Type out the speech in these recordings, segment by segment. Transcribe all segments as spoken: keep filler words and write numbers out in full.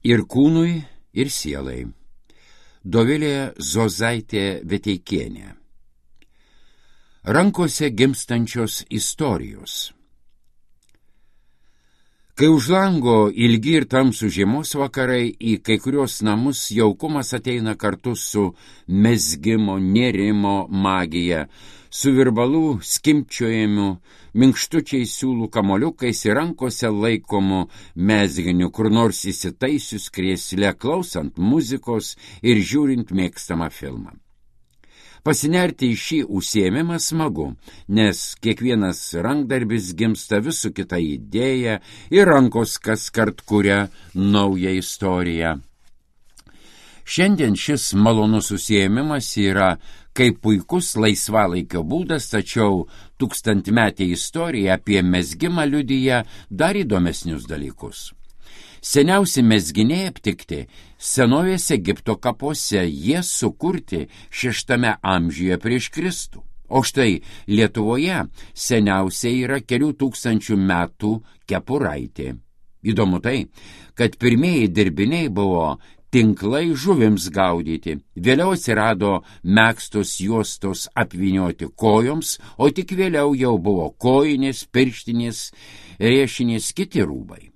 ir kūnui, ir sielai. Dovilė Zozaitė Veteikienė. Rankose gimstančios istorijos. Kai už lango ilgi ir tamsų žiemos vakarai, į kai kurios namus jaukumas ateina kartu su mezgimo, nėrimo magija, su virbalų skimpčiojimu, minkštučiais siūlų kamoliukais ir rankose laikomu mezginiu, kur nors įsitaisius krėsle, klausant muzikos ir žiūrint mėgstamą filmą. Pasinerti į šį užsiėmimą smagu, nes kiekvienas rankdarbis gimsta vis su kita idėja ir rankos kaskart kuria naują istoriją. Šiandien šis malonus užsiėmimas yra kaip puikus laisvalaikio būdas, tačiau tūkstantmetė istorija apie mezgimą liudija dar įdomesnius dalykus. Seniausi mezginiai aptikti senovės Egipto kapuose, jie sukurti šeštame amžiuje prieš Kristų. O štai Lietuvoje seniausiai yra kelių tūkstančių metų kepuraitė. Įdomu tai, kad pirmieji dirbiniai buvo tinklai žuvims gaudyti, vėliau atsirado megztos juostos apvynioti kojoms, o tik vėliau jau buvo kojinės, pirštinės, riešinės, kiti rūbai.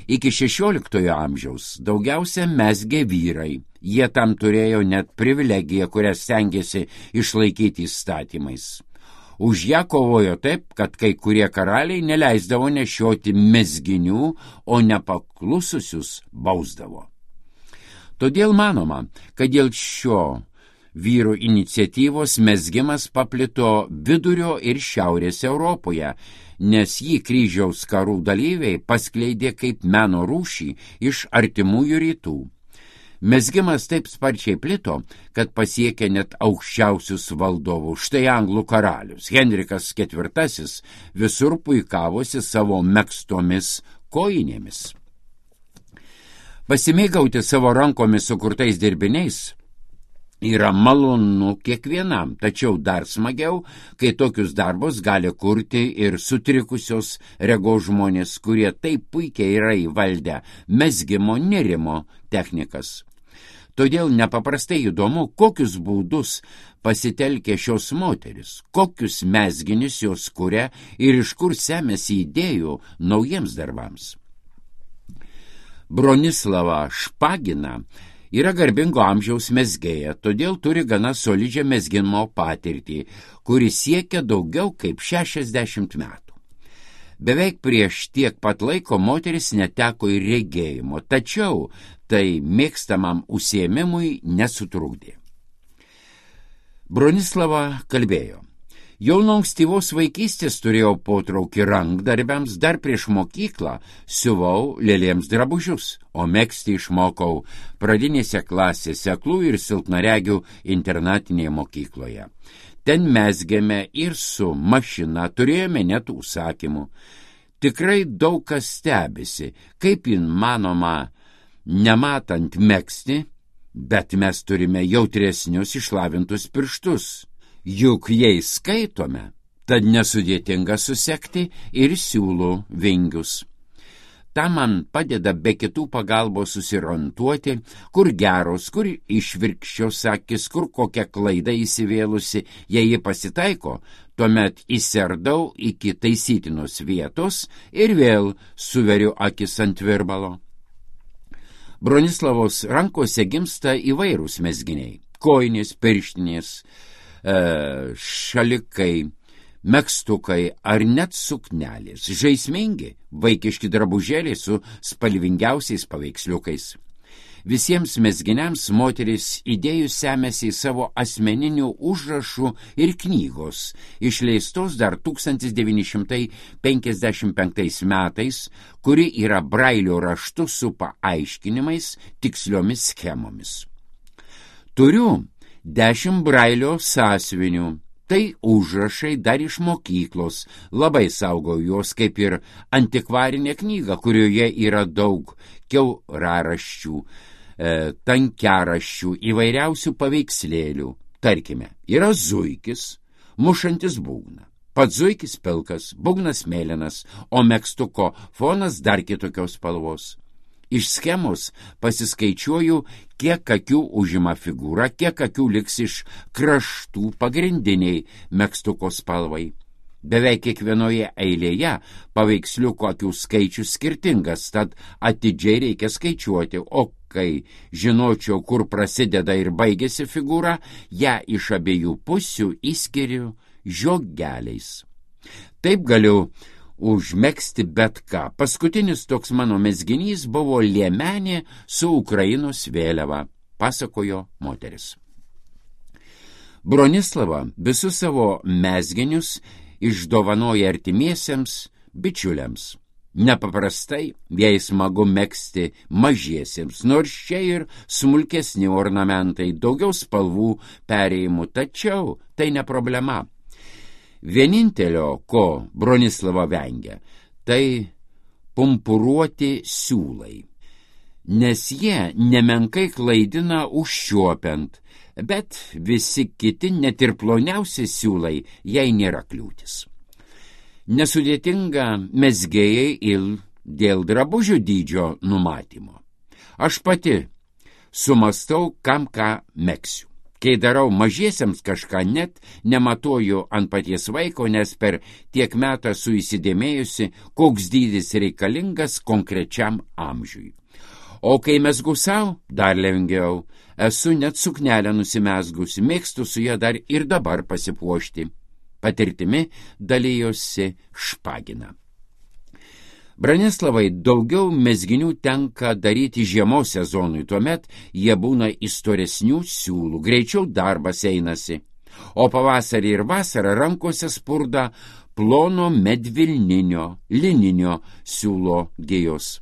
Iki šešioliktojo amžiaus daugiausia mezgė vyrai. Jie tam turėjo net privilegiją, kurią stengėsi išlaikyti įstatymais. Už ją kovojo taip, kad kai kurie karaliai neleisdavo nešioti mezginių, o nepaklususius bausdavo. Todėl manoma, kad dėl šio vyrų iniciatyvos mezgimas paplito vidurio ir šiaurės Europoje, nes jį kryžiaus karų dalyviai paskleidė kaip meno rūšį iš artimųjų rytų. Mezgimas taip sparčiai plito, kad pasiekė net aukščiausius valdovus. Štai anglų karalius Henrikas ketvirtasis visur puikavosi savo megztomis kojinėmis. Pasimėgauti savo rankomis sukurtais dirbiniais yra malonu kiekvienam, tačiau dar smagiau, kai tokius darbus gali kurti ir sutrikusios regos žmonės, kurie taip puikiai yra įvaldę mezgimo nėrimo technikas. Todėl nepaprastai įdomu, kokius būdus pasitelkia šios moteris, kokius mezginius jos kuria ir iš kur semiasi idėjų naujiems darbams. Bronislava Špagina yra garbingo amžiaus mezgėja, todėl turi gana solidžią mezgimo patirtį, kuri siekia daugiau kaip šešiasdešimt metų. Beveik prieš tiek pat laiko moteris neteko ir regėjimo, tačiau tai mėgstamam užsiėmimui nesutrukdė. Bronislava kalbėjo: jau nuo ankstyvos vaikystės turėjau potraukį rankdarbiams, dar prieš mokyklą siuvau lėlėms drabužius, o megzti išmokau pradinėse klasėse aklų ir silpnaregių internatinėje mokykloje. Ten mezgėme ir su mašina, turėjome net užsakymų. Tikrai daug kas stebisi, kaip įmanoma nematant megzti, bet mes turime jautresnius išlavintus pirštus. Juk jais skaitome, tad nesudėtinga susekti ir siūlų vingius. Ta man padeda be kitų pagalbos susiorientuoti, kur geros, kur išvirkščios akis, kur kokia klaida įsivėlusi. Jei ji pasitaiko, tuomet įserdau iki taisytinos vietos ir vėl suveriu akis ant virbalo. Bronislavos rankose gimsta įvairūs mezginiai – kojinės, pirštinės, šalikai, megztukai ar net suknelės, žaismingi, vaikiški drabužėliai su spalvingiausiais paveiksliukais. Visiems mezginiams moteris idėjų semėsi į savo asmeninių užrašų ir knygos, išleistos dar tūkstantis devyni šimtai penkiasdešimt penktais metais, kuri yra brailio raštu su paaiškinimais, tiksliomis schemomis. Turiu dešimt brailio sąsiuvinių. Tai užrašai dar iš mokyklos, labai saugau juos kaip ir antikvarinė knyga, kurioje yra daug kiauraraščių, e, tankiaraščių, įvairiausių paveikslėlių. Tarkime, yra zuikis, mušantis būgną. Pats zuikis pilkas, būgnas mėlynas, o megztuko fonas dar kitokios spalvos. Iš schemos pasiskaičiuoju, kiek akių užima figūra, kiek akių liks iš kraštų pagrindiniai megztuko spalvai. Beveik kiekvienoje eilėje paveiksliuko akių skaičius skirtingas, tad atidžiai reikia skaičiuoti, o kai žinočiau, kur prasideda ir baigėsi figūra, ją iš abiejų pusių įskiriu žiogeliais. Taip galiu užmegzti bet ką. Paskutinis toks mano mezginys buvo liemenė su Ukrainos vėliava, pasakojo moteris. Bronislava visus savo mezginius išdovanoja artimiesiems bičiuliams. Nepaprastai jai smagu megzti mažiesiems, nors čia ir smulkesni ornamentai, daugiau spalvų perėjimų, tačiau tai ne problema. Vienintelio, ko Bronislava vengia, tai pumpuruoti siūlai, nes jie nemenkai klaidina užčiuopiant, bet visi kiti, net ir ploniausi siūlai, jai nėra kliūtis. Nesudėtinga mezgėjai ir dėl drabužių dydžio numatymo. Aš pati sumastau, kam ką megsiu. Kai darau mažiesiems kažką, net nematuoju ant paties vaiko, nes per tiek metą esu įsidėmėjusi, koks dydis reikalingas konkrečiam amžiui. O kai mezgu savo, dar lengviau, esu net suknelę nusimezgusi, mėgstu su ją dar ir dabar pasipuošti. Patirtimi dalyjosi Špagina. Bronislavai daugiau mezginių tenka daryti žiemos sezonui, tuomet jie būna įstoresnių siūlų, greičiau darbas einasi, o pavasarį ir vasarą rankose spurda plono medvilninio, lininio siūlo gijos.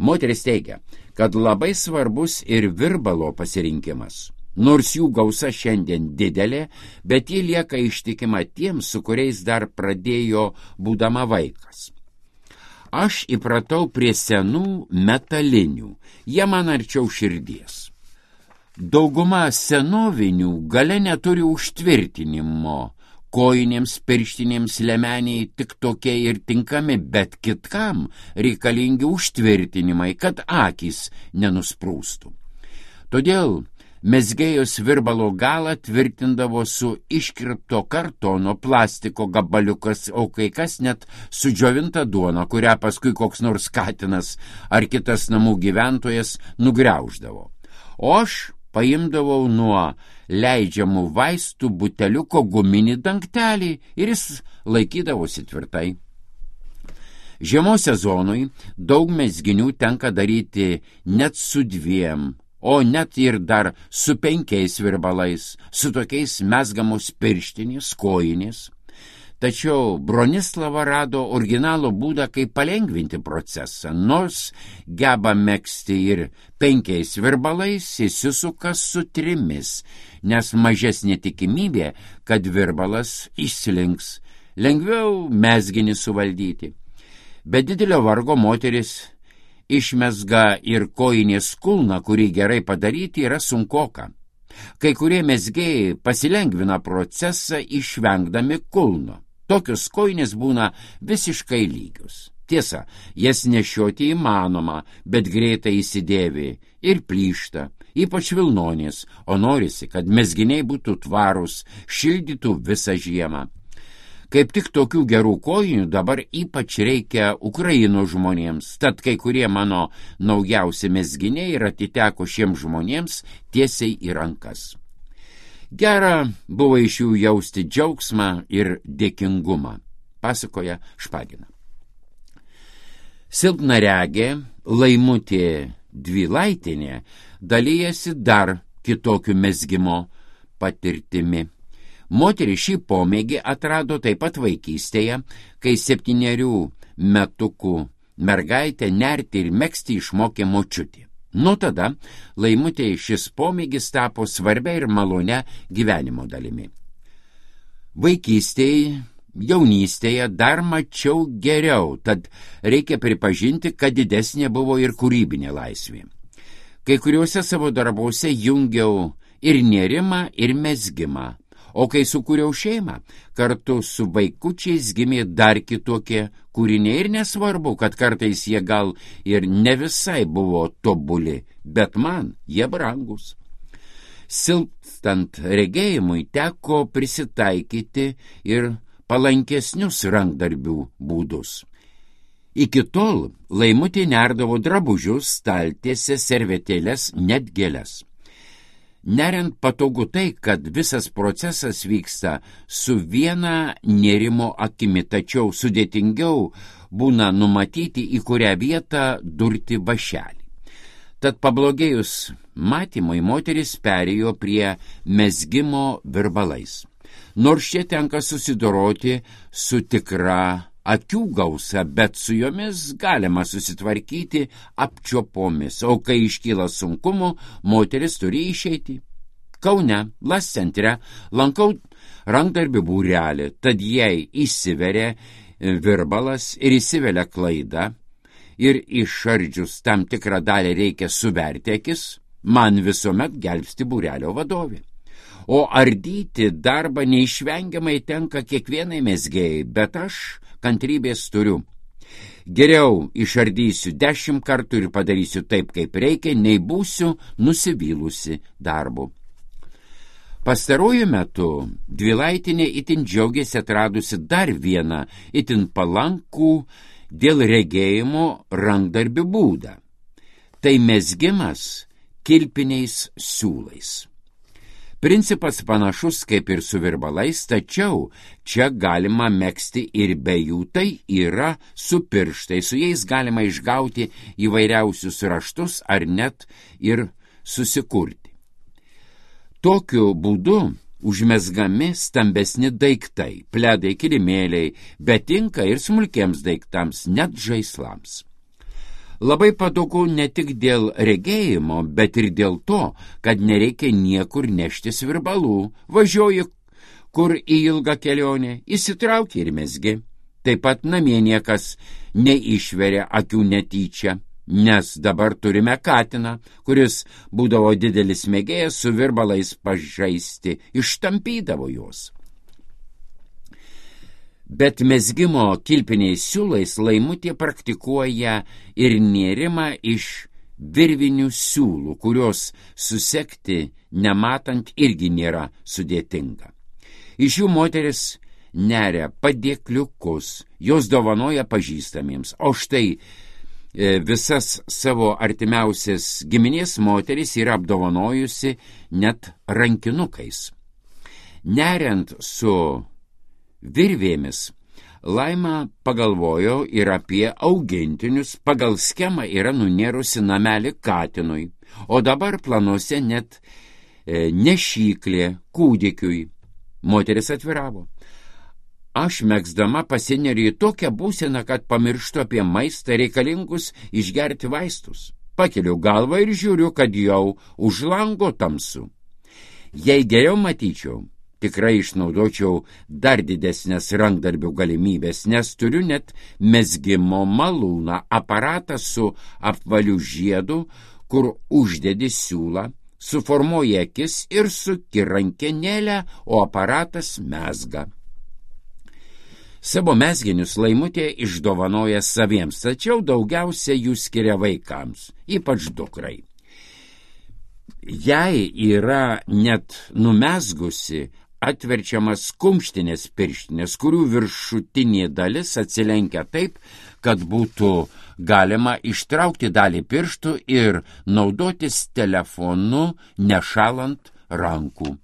Moteris teigia, kad labai svarbus ir virbalo pasirinkimas. Nors jų gausa šiandien didelė, bet ji lieka ištikima tiems, su kuriais dar pradėjo būdama vaikas. Aš įpratau prie senų metalinių, jie man arčiau širdies. Dauguma senovinių gale neturi užtvirtinimo, kojinėms, pirštinėms, liemeniai tik tokie ir tinkami, bet kitkam reikalingi užtvirtinimai, kad akys nenusprūstų. Todėl mezgėjos virbalo galą tvirtindavo su iškirpto kartono plastiko gabaliukas, o kai kas net sudžiovinta duona, kurią paskui koks nors katinas ar kitas namų gyventojas nugriauždavo. O aš paimdavau nuo leidžiamų vaistų buteliuko guminį dangtelį ir jis laikydavosi tvirtai. Žiemos sezonui daug mezginių tenka daryti net su dviem, o net ir dar su penkiais virbalais, su tokiais mezgamos pirštinės, kojinės. Tačiau Bronislava rado originalo būdą, kaip palengvinti procesą, nors geba megzti ir penkiais virbalais, įsisuka su trimis, nes mažesnė tikimybė, kad virbalas išslinks, lengviau mezginį suvaldyti. Be didelio vargo moteris išmezga ir kojinės kulną, kurį gerai padaryti yra sunkoka. Kai kurie mezgėjai pasilengvina procesą išvengdami kulno. Tokios kojinės būna visiškai lygios. Tiesa, jas nešioti įmanoma, bet greitai įsidėvi ir plyšta, ypač vilnonės, o norisi, kad mezginiai būtų tvarūs, šildytų visą žiemą. Kaip tik tokių gerų kojinių dabar ypač reikia Ukrainos žmonėms, tad kai kurie mano naujausi mezginiai ir atiteko šiems žmonėms tiesiai į rankas. Gera buvo iš jų jausti džiaugsmą ir dėkingumą, pasakoja Špagina. Silpnaregė Laimutė Dvilaitinė dalyjasi dar kitokiu mezgimo patirtimi. Moteris šį pomėgį atrado taip pat vaikystėje, kai septynerių metukų mergaitę nerti ir megzti išmokė močiutė. Nuo tada Laimutei šis pomėgis tapo svarbia ir malonia gyvenimo dalimi. Vaikystėje, jaunystėje dar mačiau geriau, tad reikia pripažinti, kad didesnė buvo ir kūrybinė laisvė. Kai kuriuose savo darbuose jungiau ir nėrimą, ir mezgimą, O kai sukūriau šeimą, kartu su vaikučiais gimė dar kitokie kūriniai ir nesvarbu, kad kartais jie gal ir ne visai buvo tobuli, bet man jie brangus. Silpstant regėjimui teko prisitaikyti ir palankesnius rankdarbių būdus. Iki tol Laimutė nerdavo drabužius, staltiesę, servetėles, net gėles. Neriant patogu tai, kad visas procesas vyksta su viena nėrimo akimi, tačiau sudėtingiau būna numatyti, į kurią vietą durti vašelį. Tad pablogėjus matymui, moteris perėjo prie mezgimo virbalais. Nors čia tenka susidoroti su tikra akių gausa, bet su jomis galima susitvarkyti apčiuopomis, o kai iškyla sunkumų, moteris turi išeiti. Kaune, Las centre, lankau rankdarbių būrelį, tad jei įsiveria virbalas ir įsivelia klaida ir išardžius tam tikrą dalį reikia suverti akis, man visuomet gelbsti būrelio vadovė. O ardyti darbą neišvengiamai tenka kiekvienai mezgėjai, bet aš kantrybės turiu. Geriau išardysiu dešimt kartų ir padarysiu taip, kaip reikia, nei būsiu nusivylusi darbu. Pastaruoju metu Dvilaitinė itin džiaugiasi atradusi dar vieną itin palankų dėl regėjimo rankdarbių būdą. Tai mezgimas kilpiniais siūlais. Principas panašus kaip ir su virbalais, tačiau čia galima megzti ir be jų, tai yra su pirštai, su jais galima išgauti įvairiausius raštus ar net ir susikurti. Tokiu būdu užmezgami stambesni daiktai, pledai, kilimėliai, bet tinka ir smulkiems daiktams, net žaislams. Labai patogu ne tik dėl regėjimo, bet ir dėl to, kad nereikia niekur neštis virbalų. Važiuoji kur į ilgą kelionę, įsitrauki ir mezgi. Taip pat namie niekas neišveria akių netyčia, nes dabar turime katiną, kuris būdavo didelis mėgėjas su virbalais pažaisti, ištampydavo juos. Bet mezgimo kilpiniais siūlais Laimutė praktikuoja ir nėrimą iš virvinių siūlų, kurios susekti nematant irgi nėra sudėtinga. Iš jų moteris neria padėkliukus, jos dovanoja pažįstamiems, o štai e, visas savo artimiausias giminės moteris yra apdovanojusi net rankinukais. Neriant su virvėmis, Laima pagalvojo ir apie augintinius, pagal schemą yra nunėrusi namelį katinui, o dabar planuose net e, nešyklė kūdikiui. Moteris atviravo. Aš megzdama pasineriu į tokią būseną, kad pamirštu apie maistą, reikalingus išgerti vaistus. Pakeliu galvą ir žiūriu, kad jau už lango tamsu. Jei geriau matyčiau, tikrai išnaudočiau dar didesnės rankdarbių galimybės, nes turiu net mezgimo malūną, aparatą su apvaliu žiedu, kur uždedi siūlą, suformuoji akis ir suki rankenėlę, o aparatas mezga. Savo mezginius Laimutė išdovanoja saviems, tačiau daugiausia jų skiria vaikams, ypač dukrai. Jei yra net numezgusi atverčiamas kumštinės pirštinės, kurių viršutinė dalis atsilenkia taip, kad būtų galima ištraukti dalį pirštų ir naudotis telefonu nešalant rankų.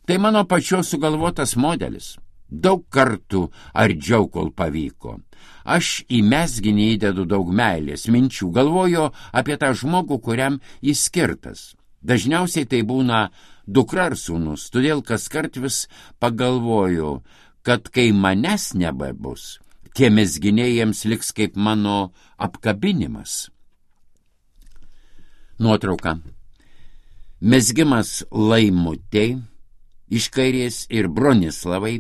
Tai mano pačios sugalvotas modelis. Daug kartų ardžiau, kol pavyko. Aš į mezginį įdedu daug meilės, minčių, galvoju apie tą žmogų, kuriam jis skirtas. Dažniausiai tai būna dukra ar sūnus, todėl kaskart vis pagalvoju, kad kai manęs nebebus, tie mezginiai jiems liks kaip mano apkabinimas. Nuotrauka. Mezgimas Laimutei, iš kairės ir Bronislavai,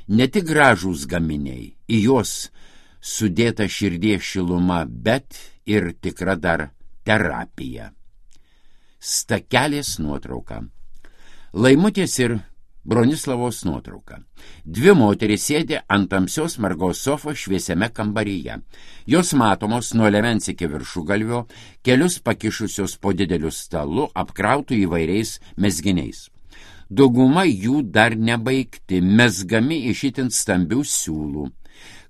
ne tik gražūs gaminiai, į juos sudėta širdies šiluma, bet ir tikra dar terapija. Stakelės nuotrauka. Laimutės ir Bronislavos nuotrauka. Dvi moterys sėdi ant tamsios margos sofos šviesiame kambaryje. Jos matomos nuo liemens iki viršugalvio, kelius pakišusios po dideliu stalu, apkrautų įvairiais mezginiais. Dauguma jų dar nebaigti, mezgami iš itin stambių siūlų.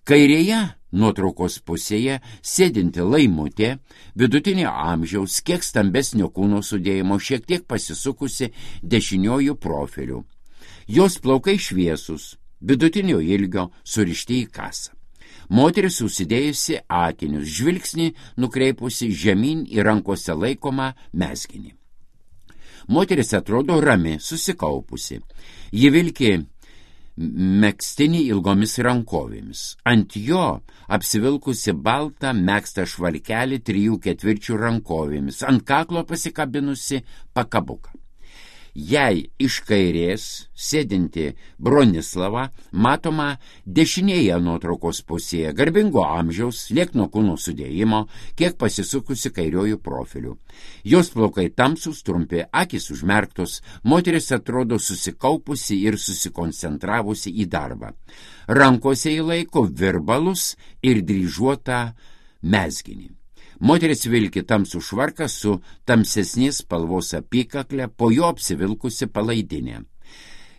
Kairėje nuotraukos pusėje sėdinti laimutė, vidutinio amžiaus, kiek stambesnio kūno sudėjimo, šiek tiek pasisukusi dešiniojų profiliu. Jos plaukai šviesus, vidutinio ilgio, surišti į kasą. Moteris užsidėjusi akinius, žvilgsnį nukreipusi žemyn į rankose laikomą mezginį. Moteris atrodo rami, susikaupusi. Ji vilki megztinį ilgomis rankovėmis. Ant jo apsivilkusi baltą megztą švarkelį trijų ketvirčių rankovėmis, ant kaklo pasikabinusi pakabuką. Jei iš kairės sėdinti Bronislava matoma dešinėje nuotraukos pusėje, garbingo amžiaus, liekno kūno sudėjimo, kiek pasisukusi kairiojų profiliu. Jos plaukai tamsūs, trumpi, akys užmerktos, moteris atrodo susikaupusi ir susikoncentravusi į darbą. Rankose įlaiko virbalus ir dryžuotą mezginį. Moteris vilki tamsų švarką su tamsesnės spalvos apykaklė, po jo apsivilkusi palaidinė.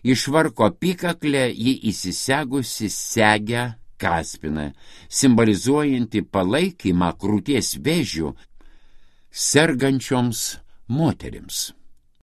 Iš švarko apykaklę ji įsisegusi segę kaspiną, simbolizuojantį palaikymą krūties vėžių sergančioms moterims.